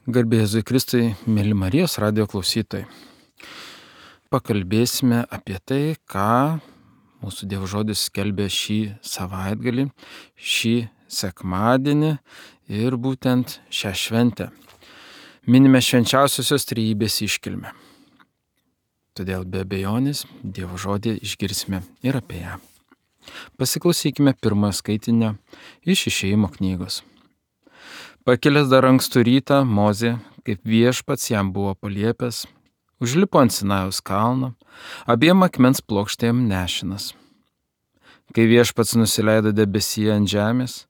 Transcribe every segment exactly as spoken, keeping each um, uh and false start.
Garbė Jėzui Kristui, mėly Marijos radijo klausytojai. Pakalbėsime apie tai, ką mūsų Dievo žodis skelbė šį savaitgalį, šį sekmadienį ir būtent šią šventę. Minime švenčiausiosios trejybės iškilmę. Todėl be abejonės Dievo žodį išgirsime ir apie ją. Pasiklausykime pirmojo skaitinio iš Išėjimo knygos. Pakilęs dar ankstų rytą, Mozė, kaip viešpats jam buvo paliepęs, užlipo ant Sinajaus kalno, abiem akmens plokštėm nešinas. Kai viešpats nusileido debesyje ant žemės,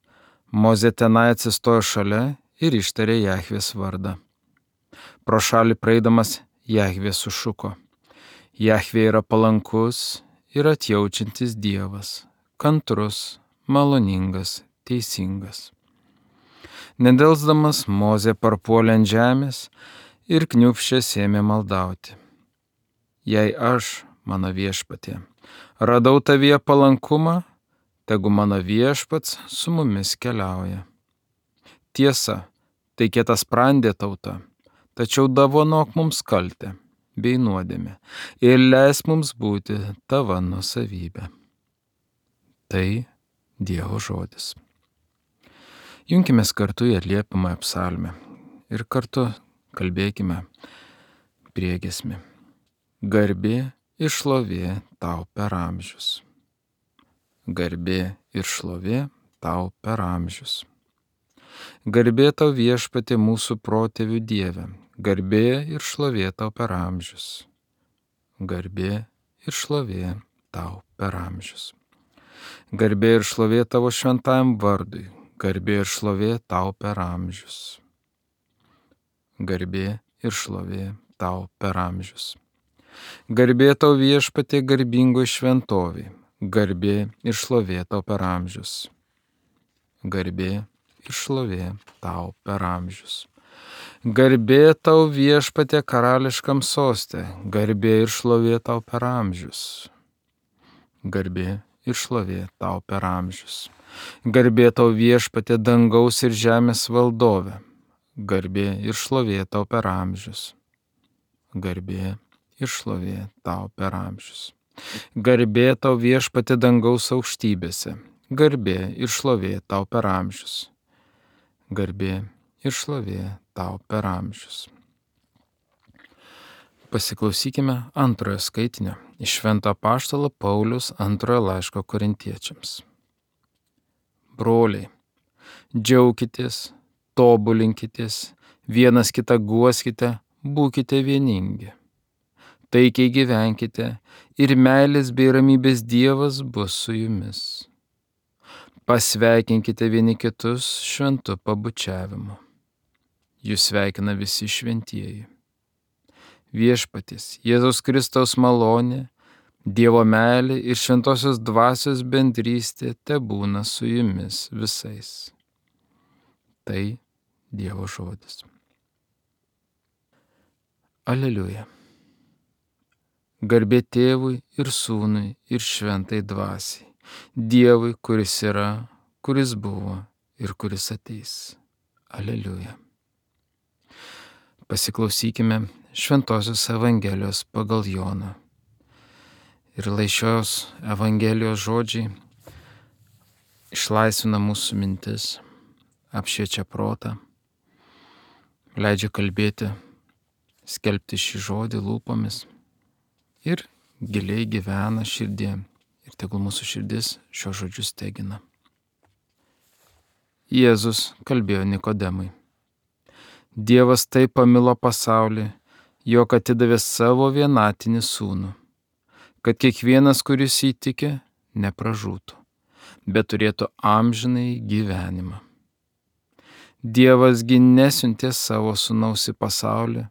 Mozė tenai atsistojo šalia ir ištarė Jahvės vardą. Pro šalį praeidamas Jahvė sušuko: Jahvė yra palankus ir atjaučiantis Dievas, kantrus, maloningas, teisingas. Nedelsdamas Mozė parpuolė ant žemės ir kniūbsčias ėmė maldauti: Jei aš, mano viešpatie, radau tavyje palankumą, tegu mano viešpats su mumis keliauja. Tiesa, tai kietasprandė tauta, tačiau dovanok mums kaltę bei nuodėmę ir leisk mums būti tava nuosavybė. Tai Dievo žodis. Junkimės kartu į atliepiamąją psalmę ir kartu kalbėkime priegiesmį. Garbė ir šlovė tau per amžius. Garbė ir šlovė tau per amžius. Garbė tau viešpatie mūsų protėvių Dieve. Garbė ir šlovė tau per amžius. Garbė ir šlovė tau per amžius. Garbė ir šlovė tavo šventajam vardui. Garbė ir šlovė tau per amžius. Garbė ir šlovė tau per amžius. Garbė tau viešpatie garbingoj šventovėj. Garbė ir šlovė tau per amžius. Garbė ir šlovė tau per amžius. Garbė tau viešpatie karališkam soste. Garbė ir šlovė tau per amžius. Garbė ir šlovė tau per amžius. Garbė tau viešpatie dangaus ir žemės valdove. Garbė ir šlovė tau per amžius. Garbė ir šlovė tau per amžius. Garbė tau viešpatie dangaus aukštybėse. Garbė ir šlovė tau per amžius. Garbė ir šlovė tau per amžius. Pasiklausykime antrojo skaitinio iš Švento apaštalo Pauliaus antrojo laiško Korintiečiams. Broliai, džiaukitės, tobulinkitės, vienas kitą guoskite, būkite vieningi. Taikiai gyvenkite ir meilės bei ramybės Dievas bus su jumis. Pasveikinkite vieni kitus šventu pabučiavimu. Jūs sveikina visi šventieji. Viešpaties Jėzaus Kristaus malonė, Dievo meilė ir šventosios dvasios bendrystė tebūna su jumis visais. Tai Dievo žodis. Aleliuja. Garbė Tėvui ir Sūnui ir šventai dvasiai, Dievui, kuris yra, kuris buvo ir kuris ateis. Aleliuja. Pasiklausykime Šventosios Evangelijos pagal Joną. Ir lai šios Evangelijos žodžiai išlaisvina mūsų mintis, apšviečia protą, leidžia kalbėti, skelbti šį žodį lūpomis ir giliai gyvena širdie ir tegul mūsų širdis šios žodžius tegina. Jėzus kalbėjo Nikodemui: Dievas taip pamilo pasaulį, jog atidavė savo vienatinį sūnų, kad kiekvienas, kuris įtiki, nepražūtų, bet turėtų amžinai gyvenimą. Dievasgi nesiuntė savo sūnaus į pasaulį,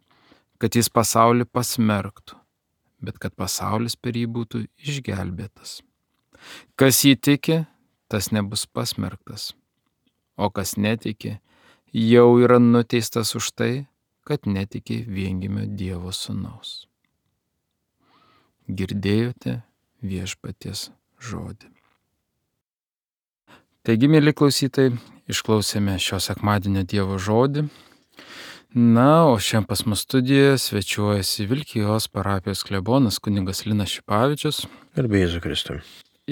kad jis pasaulį pasmerktų, bet kad pasaulis per jį būtų išgelbėtas. Kas jį tiki, tas nebus pasmerktas, o kas netiki, jau yra nuteistas už tai, kad netiki viengimio Dievo sūnaus. Girdėjote viešpaties žodį. Taigi, mėly klausytojai, išklausėme šio sekmadienio Dievo žodį. Na, o šiandien pas mus studijoje svečiuojasi Vilkijos parapijos klebonas kunigas Linas Šipavičius. Garbė Jėzui Kristui.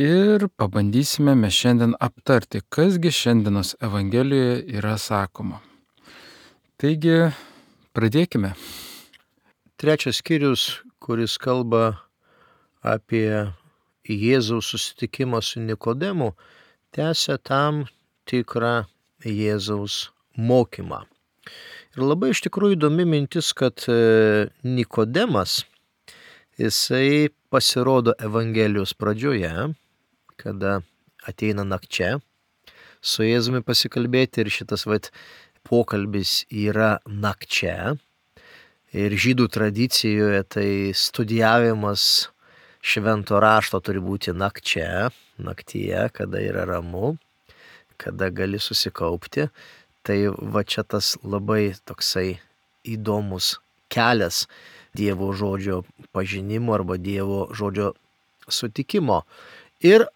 Ir pabandysime mes šiandien aptarti, kasgi šiandienos Evangelijoje yra sakoma. Taigi, pradėkime. Trečias skyrius, kuris kalba apie Jėzaus susitikimą su Nikodemu, tęsia tam tikrą Jėzaus mokymą. Ir labai iš tikrųjų įdomi mintis, kad Nikodemas, jisai pasirodo Evangelijos pradžioje, kada ateina nakčia su Jėzumi pasikalbėti, ir šitas vat, pokalbis yra nakčia. Ir žydų tradicijoje tai studijavimas švento rašto turi būti nakčia, naktyje, kada yra ramu, kada gali susikaupti. Tai va čia tas labai toksai įdomus kelias Dievo žodžio pažinimo arba Dievo žodžio sutikimo. Ir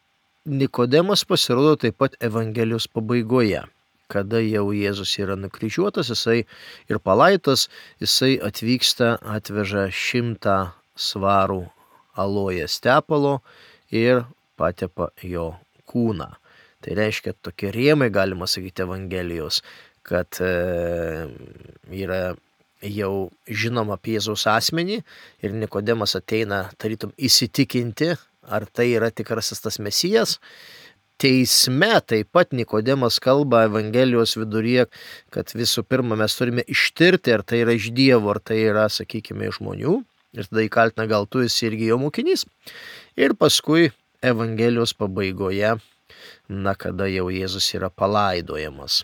Nikodemas pasirodo taip pat Evangelijos pabaigoje, kada jau Jėzus yra nukryžiuotas, jisai ir palaitas, jisai atvyksta, atveža šimtą svarų alojes tepalo ir patepa jo kūną. Tai reiškia, tokie rėmai, galima sakyti, Evangelijos, kad e, yra jau žinoma apie Jėzaus asmenį ir Nikodemas ateina tarytum įsitikinti, ar tai yra tikrasis tas Mesijas. Teisme taip pat Nikodemas kalba Evangelijos viduryje, kad visų pirma mes turime ištirti, ar tai yra iš Dievo, ar tai yra, sakykime, iš žmonių. Ir tada įkaltina, gal tu esi irgi jo mokinys. Ir paskui Evangelijos pabaigoje, na, kada jau Jėzus yra palaidojamas.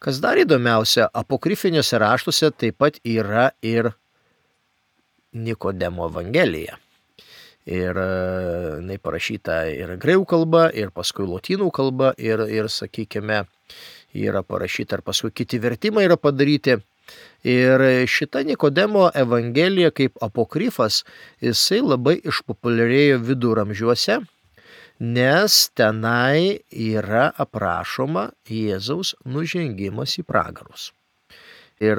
Kas dar įdomiausia, apokrifiniuose raštuose taip pat yra ir Nikodemo Evangelija. Ir jinai parašyta ir graikų kalba, ir paskui lotynų kalba, ir, ir sakykime, yra parašyta, ir paskui kiti vertimai yra padaryti. Ir šita Nikodemo Evangelija kaip apokrifas, jisai labai išpopuliarėjo viduramžiuose, nes tenai yra aprašoma Jėzaus nužengimas į pragarus. Ir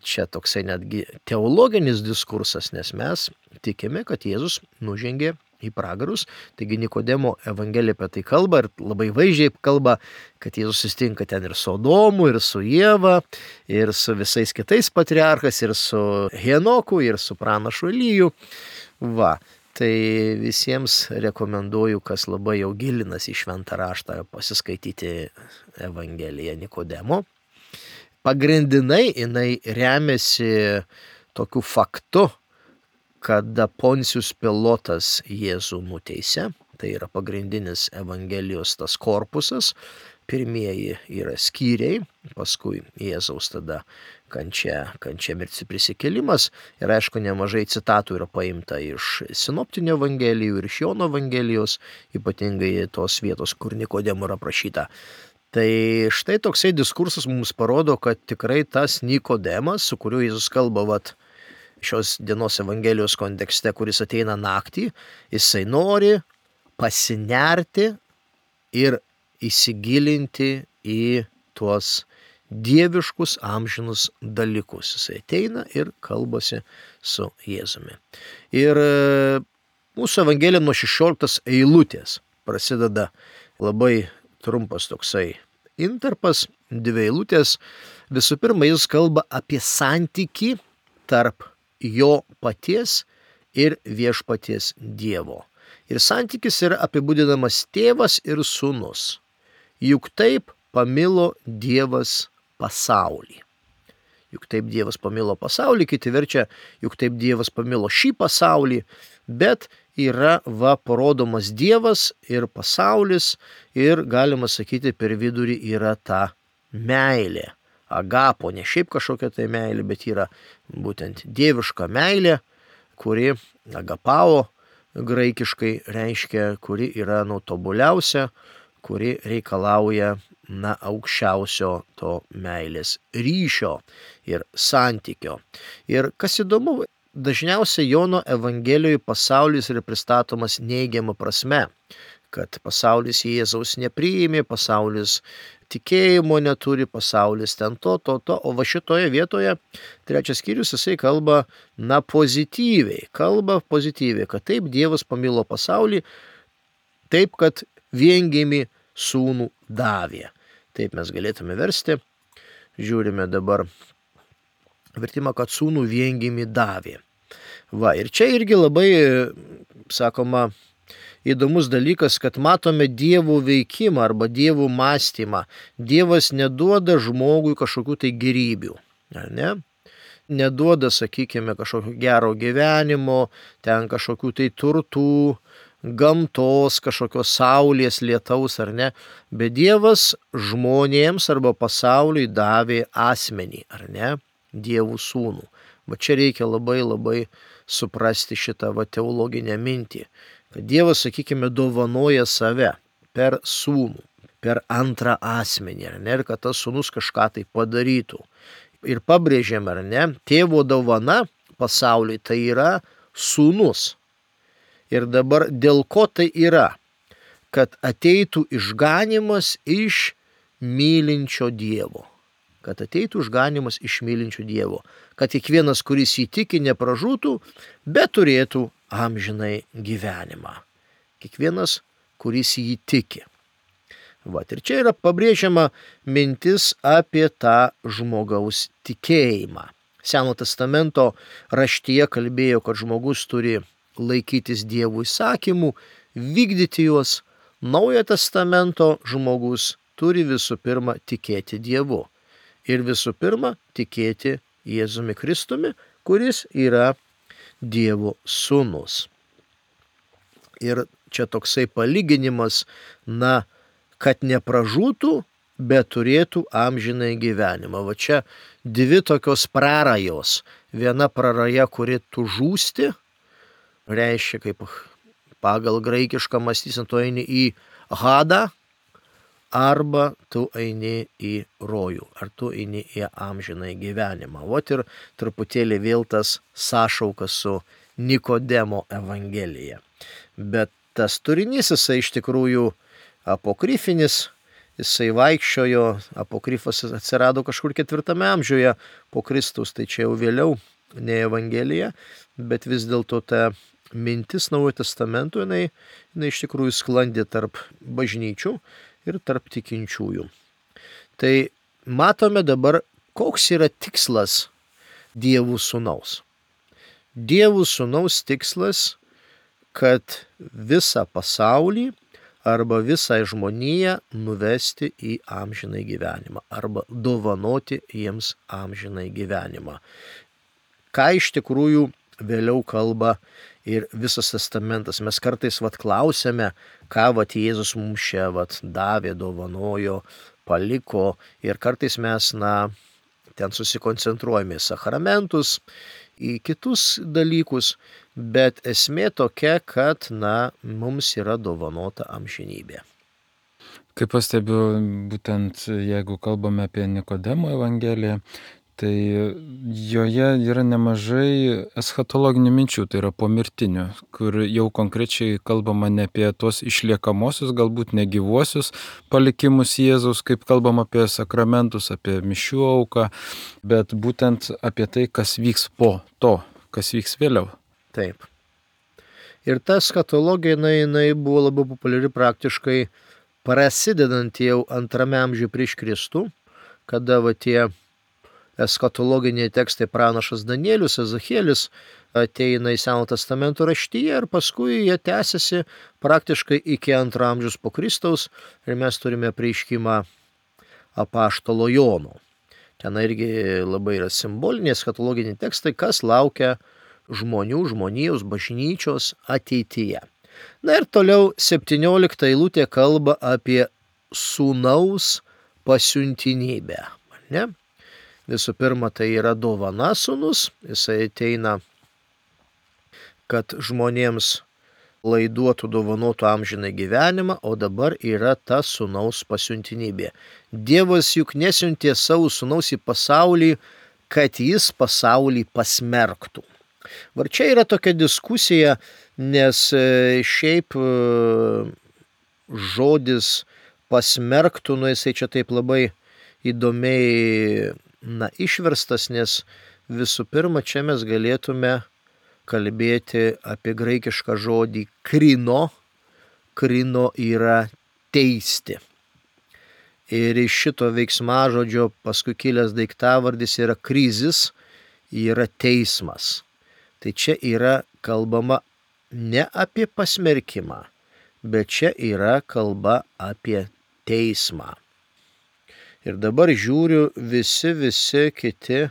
čia toksai netgi teologinis diskursas, nes mes tikime, kad Jėzus nužengė į pragarus. Taigi Nikodemo Evangelija apie tai kalba ir labai vaizdžiai kalba, kad Jėzus susitinka ten ir su Adomu, ir su Ieva, ir su visais kitais patriarchais, ir su Henoku, ir su pranašu Eliju. Va. Tai visiems rekomenduoju, kas labai jau gilinasi į šventą raštą, pasiskaityti Evangeliją Nikodemo. Pagrindinai jinai remiasi tokiu faktu, kada Poncijus Pilotas Jėzų nuteisė. Tai yra pagrindinis Evangelijos tas korpusas. Pirmieji yra skyriai, paskui Jėzaus tada kančia, kančia mirtis prisikėlimas. Ir aišku, nemažai citatų yra paimta iš sinoptinių Evangelijų ir iš Jono Evangelijos, ypatingai tos vietos, kur Nikodemo yra aprašyta. Tai štai toksai diskursas mums parodo, kad tikrai tas Nikodemas, su kuriuo Jėzus kalba vat, šios dienos Evangelijos kontekste, kuris ateina naktį, jisai nori pasinerti ir įsigilinti į tuos dieviškus amžinus dalykus. Jisai ateina ir kalbasi su Jėzumi. Ir mūsų Evangelija nuo šešioliktos eilutės prasideda labai trumpas toksai intarpas, dvi eilutės. Visų pirma, jis kalba apie santykį tarp jo paties ir viešpaties Dievo. Ir santykis yra apibūdinamas tėvas ir sūnus. Juk taip pamilo Dievas pasaulį. Juk taip Dievas pamilo pasaulį, kiti verčia, juk taip Dievas pamilo šį pasaulį, bet yra va parodomas Dievas ir pasaulis ir galima sakyti per vidurį yra ta meilė. Agapo, ne šiaip kažkokia tai meilė, bet yra būtent dieviška meilė, kuri agapao graikiškai reiškia, kuri yra nu tobuliausia, kuri reikalauja na aukščiausio to meilės ryšio ir santykio. Ir kas įdomu, dažniausiai Jono Evangelijoje pasaulis yra pristatomas neigiama prasme, kad pasaulis Jėzaus nepriėmė, pasaulis tikėjimo neturi, pasaulis ten to, to, to, o va šitoje vietoje trečias skyrius jisai kalba, na, pozityviai, kalba pozityviai, kad taip Dievas pamilo pasaulį, taip, kad viengimį sūnų davė. Taip mes galėtume versti, žiūrime dabar vertimą, kad sūnų viengimį davė. Va, ir čia irgi labai, sakoma, įdomus dalykas, kad matome Dievo veikimą arba Dievo mąstymą. Dievas neduoda žmogui kažkokių tai gerybių, ar ne? Neduoda, sakykime, kažkokio gero gyvenimo, ten kažkokių tai turtų, gamtos, kažkokios saulės, lietaus, ar ne? Bet Dievas žmonėms arba pasauliui davė asmenį, ar ne? Dievų sūnų. Va čia reikia labai labai suprasti šitą va teologinę mintį. Kad Dievas, sakykime, dovanoja save per sūnų, per antrą asmenį, ar ne, ir kad tas sūnus kažką tai padarytų. Ir pabrėžiam, ar ne, tėvo dovana pasauliui tai yra sūnus. Ir dabar dėl ko tai yra? Kad ateitų išganimas iš mylinčio Dievo. Kad ateitų išganimas iš mylinčio Dievo. Kad kiekvienas, kuris įtiki, nepražūtų, bet turėtų amžinai gyvenimą. Kiekvienas, kuris jį tiki. Vat, ir čia yra pabrėžiama mintis apie tą žmogaus tikėjimą. Seno testamento raštyje kalbėjo, kad žmogus turi laikytis Dievo įsakymų, vykdyti juos. Naujojo testamento žmogus turi visų pirma tikėti Dievu. Ir visų pirma tikėti Jėzumi Kristumi, kuris yra Dievo sūnus. Ir čia toksai palyginimas, na, kad nepražūtų, bet turėtų amžinai gyvenimą. Va čia dvi tokios prarajos. Viena praraja, kuri tu žūsti, reiškia, kaip pagal graikišką mąstyseną, tu eini į Hadą, arba tu eini į rojų, ar tu eini į amžinai gyvenimą. Vot ir truputėlį vėl tas sąšaukas su Nikodemo evangelija. Bet tas turinys, jisai iš tikrųjų apokrifinis, jisai vaikščiojo, apokrifas atsirado kažkur ketvirtame amžiuje po Kristaus, tai čia jau vėliau, ne evangelija, bet vis dėlto ta mintis Naujojo testamento, jinai, jinai iš tikrųjų sklandė tarp bažnyčių ir tarp tikinčiųjų. Tai matome dabar, koks yra tikslas Dievų sūnaus. Dievų sūnaus tikslas, kad visą pasaulį arba visą žmoniją nuvesti į amžinai gyvenimą arba dovanoti jiems amžinai gyvenimą. Ką iš tikrųjų vėliau kalba ir visas testamentas. Mes kartais vat klausėme, ką vat Jėzus mums čia vat davė, dovanojo, paliko, ir kartais mes, na, ten susikoncentruojame į sakramentus, į kitus dalykus, bet esmė tokia, kad, na, mums yra dovanota amžinybė. Kaip pastebiu, būtent jeigu kalbame apie Nikodemo evangeliją, tai joje yra nemažai eschatologinių minčių, tai yra pomirtinių, kur jau konkrečiai kalbama ne apie tos išliekamosius, galbūt negyvuosius palikimus Jėzaus, kaip kalbama apie sakramentus, apie mišių auką, bet būtent apie tai, kas vyks po to, kas vyks vėliau. Taip. Ir ta eschatologija, jinai, jinai buvo labai populiari praktiškai prasidedant jau antrame amžiuje prieš Kristų, kada va tie eschatologiniai tekstai pranašas Danielius, Ezachielis ateina į Seno testamento raštyje ir paskui jie tęsiasi praktiškai iki antro amžiaus po Kristaus ir mes turime apreiškimą apaštalo Jono. Ten irgi labai yra simboliniai eschatologiniai tekstai, kas laukia žmonių, žmonijos, bažnyčios ateityje. Na ir toliau septyniolikta eilutė kalba apie sūnaus pasiuntinybę. Ne? Visų pirma, tai yra dovana sūnus, jisai ateina, kad žmonėms laiduotų, dovanotų amžiną gyvenimą, o dabar yra ta sūnaus pasiuntinybė. Dievas juk nesiuntė savo sūnaus į pasaulį, kad jis pasaulį pasmerktų. Var čia yra tokia diskusija, nes šiaip žodis pasmerktų, nu jisai čia taip labai įdomiai na, išverstas, nes visų pirma, čia mes galėtume kalbėti apie graikišką žodį krino. Krino yra teisti. Ir iš šito veiksmažodžio paskui kilęs daiktavardis yra krizis, yra teismas. Tai čia yra kalbama ne apie pasmerkimą, bet čia yra kalba apie teismą. Ir dabar žiūriu visi, visi kiti.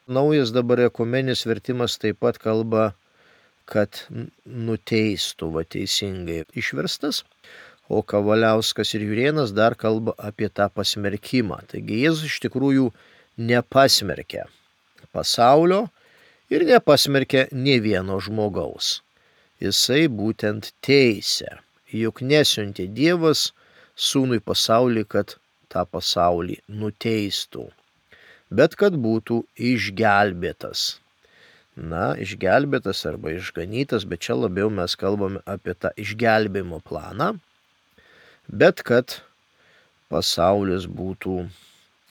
Naujas dabar ekumeninis vertimas taip pat kalba, kad nuteistų, va teisingai išverstas. O Kavaliauskas ir Jurėnas dar kalba apie tą pasmerkimą. Taigi Jėzus iš tikrųjų nepasmerkė pasaulio ir nepasmerkė nė vieno žmogaus. Jisai būtent teisė. Juk nesiuntė Dievas sūnui pasaulį, kad tą pasaulį nuteistų, bet kad būtų išgelbėtas. Na, išgelbėtas arba išganytas, bet čia labiau mes kalbame apie tą išgelbėjimo planą, bet kad pasaulis būtų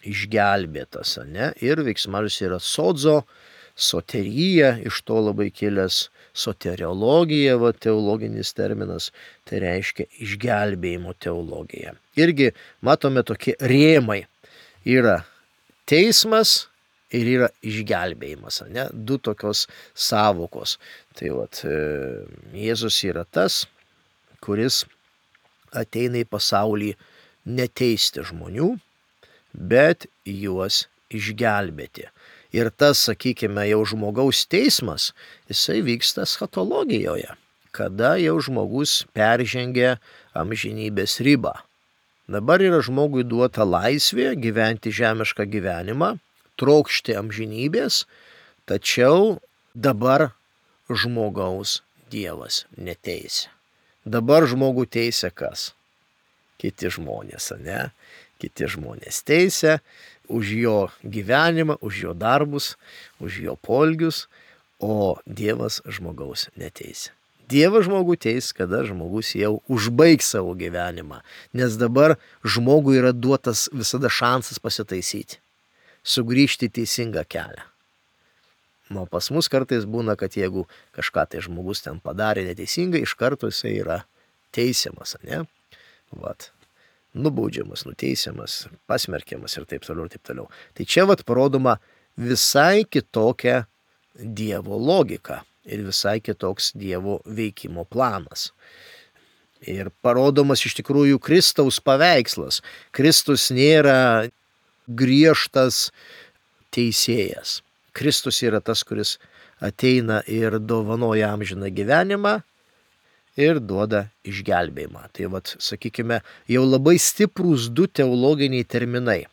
išgelbėtas, ne? Ir veiksmažodis yra sodzo, soterija, iš to labai kilęs soteriologija, va, teologinis terminas, tai reiškia išgelbėjimo teologija. Irgi matome tokie rėmai. Yra teismas ir yra išgelbėjimas, ne? Du tokios savokos. Tai vat, Jėzus yra tas, kuris ateina į pasaulį neteisti žmonių, bet juos išgelbėti. Ir tas, sakykime, jau žmogaus teismas, jisai vyksta eschatologijoje, kada jau žmogus peržengia amžinybės ribą. Dabar yra žmogui duota laisvė gyventi žemišką gyvenimą, trokšti amžinybės, tačiau dabar žmogaus Dievas neteisia. Dabar žmogų teisia kas? Kiti žmonės, ne? Kiti žmonės teisia už jo gyvenimą, už jo darbus, už jo poelgius, o Dievas žmogaus neteisia. Dievas žmogų teis, kada žmogus jau užbaigs savo gyvenimą, nes dabar žmogui yra duotas visada šansas pasitaisyti, sugrįžti į teisingą kelią. O pas mus kartais būna, kad jeigu kažką tai žmogus ten padarė neteisingai, iš karto jisai yra teisiamas, ne? Vat. Nubaudžiamas, nuteisiamas, pasmerkiamas ir taip toliau ir taip toliau. Tai čia vat parodoma visai kitokia Dievo logika ir visai kitoks Dievo veikimo planas. Ir parodomas iš tikrųjų Kristaus paveikslas. Kristus nėra griežtas teisėjas. Kristus yra tas, kuris ateina ir dovanoja amžiną gyvenimą ir duoda išgelbėjimą. Tai vat, sakykime, jau labai stiprūs du teologiniai terminai.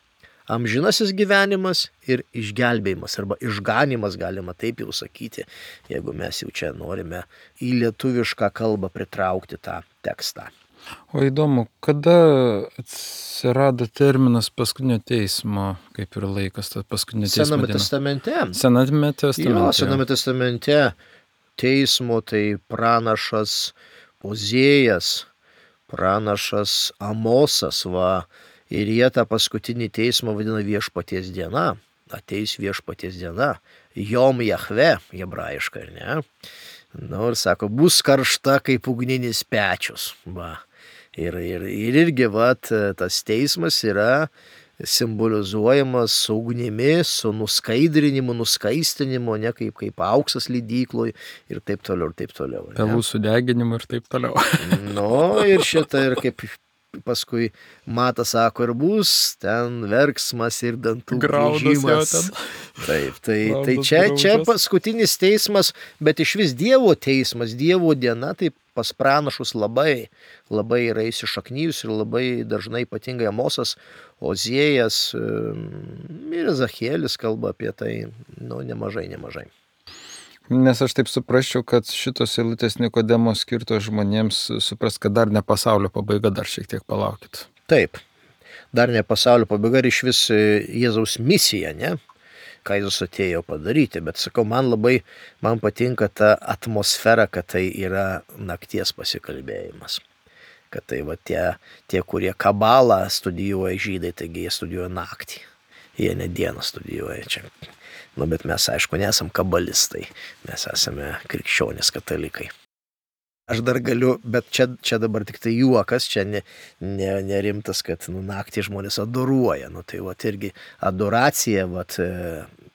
Amžinasis gyvenimas ir išgelbėjimas arba išganimas, galima taip jau sakyti, jeigu mes jau čia norime į lietuvišką kalbą pritraukti tą tekstą. O įdomu, kada atsirado terminas paskutinio teismo, kaip ir laikas, tas paskutinio teismo Sename diena? testamente. Sename testamente. Jo, Sename testamente teismo tai pranašas Ozėjas, pranašas Amosas, va, ir jie tą paskutinį teismą vadina viešpaties diena. Ateis viešpaties diena. Jom Jahve, hebrajiškai, ne? Nu, ir sako, bus karšta kaip ugninis pečius. Va. Ir, ir, ir irgi, vat, tas teismas yra simbolizuojamas su ugnimi, su nuskaidrinimu, nuskaistinimu, ne kaip, kaip auksas lydykloj ir taip toliau, ir taip toliau. Ne? Pelų sudeginimu ir taip toliau. Nu, ir šitą, ir kaip paskui Matas sako, ir bus ten verksmas ir dantų graužimas. Taip, tai, tai čia, čia paskutinis teismas, bet iš vis Dievo teismas, Dievo diena, tai pas pranašus labai, labai yra įsišaknyjus ir labai dažnai ypatingai Amosas, Ozėjas ir Zachielis kalba apie tai, nu, nemažai, nemažai. Nes aš taip suprasčiau, kad šitos eilutės Nikodemo skirtos žmonėms supras, kad dar ne pasaulio pabaiga, dar šiek tiek palaukit. Taip, dar ne pasaulio pabaiga ir iš vis Jėzaus misija, ne? Ką Jėzus atėjo padaryti, bet sakau, man labai, man patinka ta atmosfera, kad tai yra nakties pasikalbėjimas. kad tai va tie, tie kurie kabalą studijuoja žydai, taigi jie studijuoja naktį, jie ne dieną studijuoja čia. Nu, bet mes, aišku, nesam kabalistai, mes esame krikščionys katalikai. Aš dar galiu, bet čia, čia dabar tik tai juokas, čia ne, ne, nerimtas, kad nu, naktį žmonės adoruoja. Nu, tai vat irgi adoracija, vat,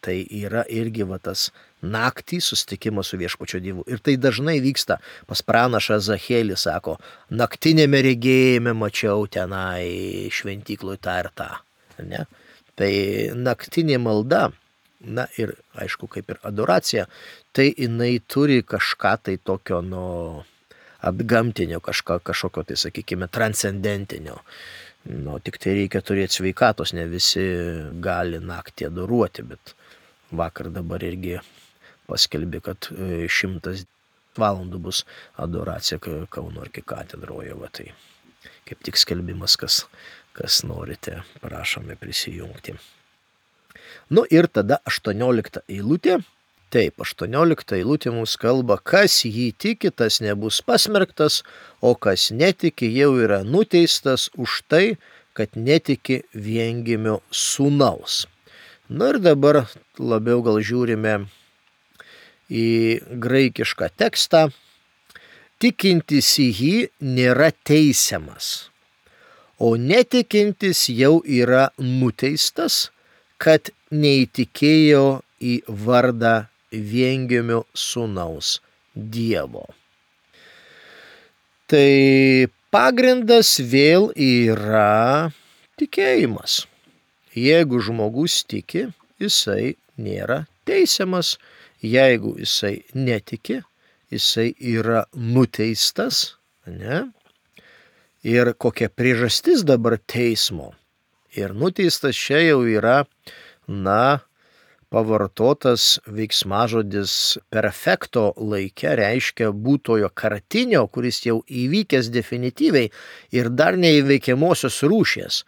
tai yra irgi vat, tas naktį susitikimas su viešpačio Dievu. Ir tai dažnai vyksta. Pas pranašą Zachėlį sako, naktinėme regėjime mačiau tenai šventykloj tą ir tą. Ne? Tai naktinė malda, na ir aišku, kaip ir adoracija, tai jinai turi kažką tai tokio, nu, atgamtinio, kažką, kažkokio, tai sakykime, transcendentinio. Nu, tik tai reikia turėti sveikatos, ne visi gali naktį adoruoti, bet vakar dabar irgi paskelbė, kad šimtas valandų bus adoracija Kauno arkikatedroje, va tai kaip tik skelbimas, kas, kas norite, prašome prisijungti. Nu ir tada aštuoniolikta eilutė. Taip, aštuoniolikta eilutė mums kalba, kas jį tiki, tas nebus pasmerktas, o kas netiki, jau yra nuteistas už tai, kad netiki viengimio sūnaus. Na ir dabar labiau gal žiūrime į graikišką tekstą. Tikintis į jį nėra teisiamas, o netikintis jau yra nuteistas, kad neįtikėjo į vardą viengimio sūnaus Dievo. Tai pagrindas vėl yra tikėjimas. Jeigu žmogus tiki, jisai nėra teisiamas. Jeigu jisai netiki, jisai yra nuteistas. Ne? Ir kokia priežastis dabar teismo. Ir nuteistas čia jau yra, na, pavartotas veiksmažodis perfekto laike, reiškia būtojo kartinio, kuris jau įvykęs definityviai ir dar neįveikiamosios rūšies.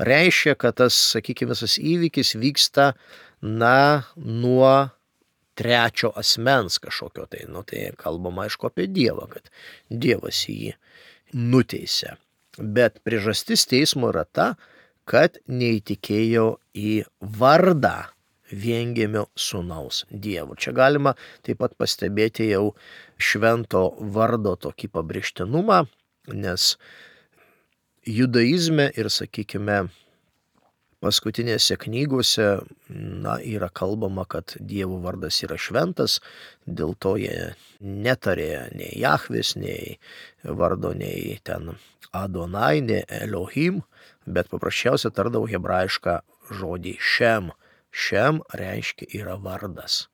Reiškia, kad tas, sakykime, visas įvykis vyksta, na, nuo trečio asmens kažkokio. Tai, nu, tai kalbama aišku apie Dievą, kad Dievas jį nuteisė. Bet priežastis teismo yra ta, kad neįtikėjo į vardą viengimio sūnaus Dievo. Čia galima taip pat pastebėti jau švento vardo tokį pabrėžtinumą, nes judaizme ir, sakykime, paskutinėse knygose, na, yra kalbama, kad Dievo vardas yra šventas, dėl to jie netarė nei Jahvės, nei vardo, nei ten Adonai, nei Elohim, bet paprasčiausiai tardavo hebrajišką žodį Šem. Šem reiškia yra vardas.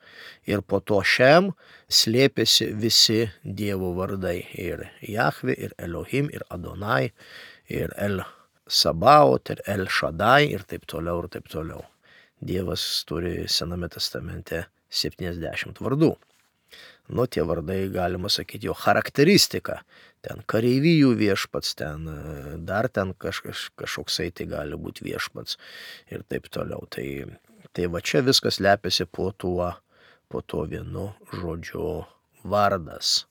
Ir po to Šem slėpėsi visi Dievo vardai. Ir Jahvė, ir Elohim, ir Adonai, ir El Sabaot, ir El Šadai, ir taip toliau, ir taip toliau. Dievas turi Sename testamente septyniasdešimt vardų. Nu, tie vardai, galima sakyti, jo charakteristika. Ten kareivijų viešpats, ten dar ten kažkas, kažkoksai tai gali būti viešpats ir taip toliau. Tai Tai va čia viskas lepiasi po tuo, po tuo vienu žodžiu vardas.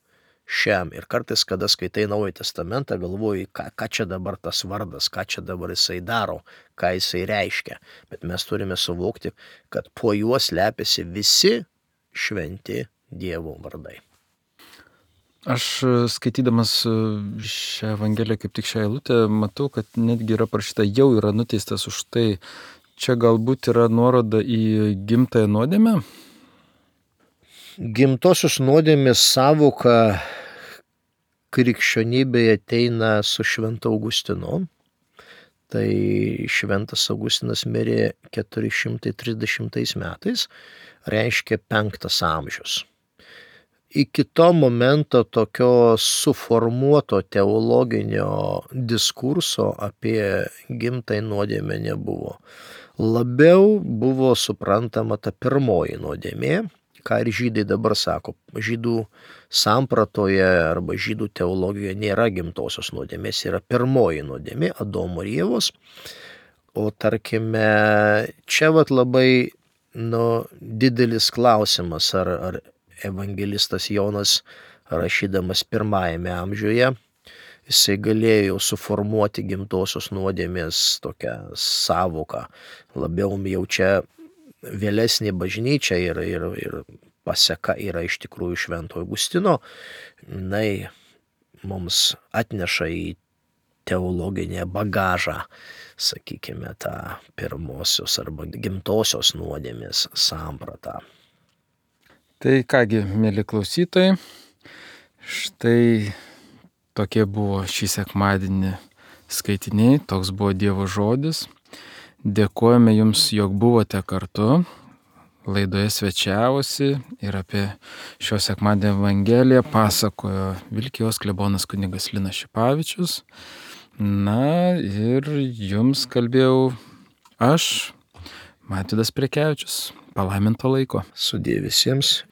Šem. Ir kartais, kada skaitai Naująjį testamentą, galvoji, ką, ką čia dabar tas vardas, ką čia dabar jisai daro, ką jisai reiškia. Bet mes turime suvokti, kad po juos lepiasi visi šventi Dievo vardai. Aš skaitydamas šią evangeliją, kaip tik šią eilutę, matau, kad netgi yra parašyta, jau yra nuteistas už tai. Čia galbūt yra nuoroda į gimtąją nuodėmę? Gimtosios nuodėmės sąvoka krikščionybėje ateina su Šventu Augustinu. Tai Šventas Augustinas mirė keturi šimtai trisdešimtais metais, reiškia penktas amžius. Iki to momento tokio suformuoto teologinio diskurso apie gimtąją nuodėmę nebuvo. Labiau buvo suprantama ta pirmoji nuodėmė, ką ir žydai dabar sako. Žydų sampratoje arba žydų teologijoje nėra gimtosios nuodėmės, yra pirmoji nuodėmė, Adomo ir Ievos. O tarkime, čia vat labai nu, didelis klausimas, ar, ar evangelistas Jonas, rašydamas pirmajame amžiuje, jisai galėjo suformuoti gimtosios nuodėmės tokią sąvoką. Labiau jau čia vėlesnė bažnyčia ir, ir, ir paseka yra iš tikrųjų Švento Augustino. Jinai mums atneša į teologinę bagažą, sakykime, tą pirmosios arba gimtosios nuodėmės sampratą. Tai kągi, mėly klausytojai, štai tokie buvo šį sekmadienį skaitiniai, toks buvo Dievo žodis. Dėkojame Jums, jog buvote kartu. Laidoje svečiavosi ir apie šio sekmadienio Evangeliją pasakojo Vilkijos klebonas kunigas Linas Šipavičius. Na ir Jums kalbėjau aš, Matydas Prekevičius. Palaiminto laiko. Sudie visiems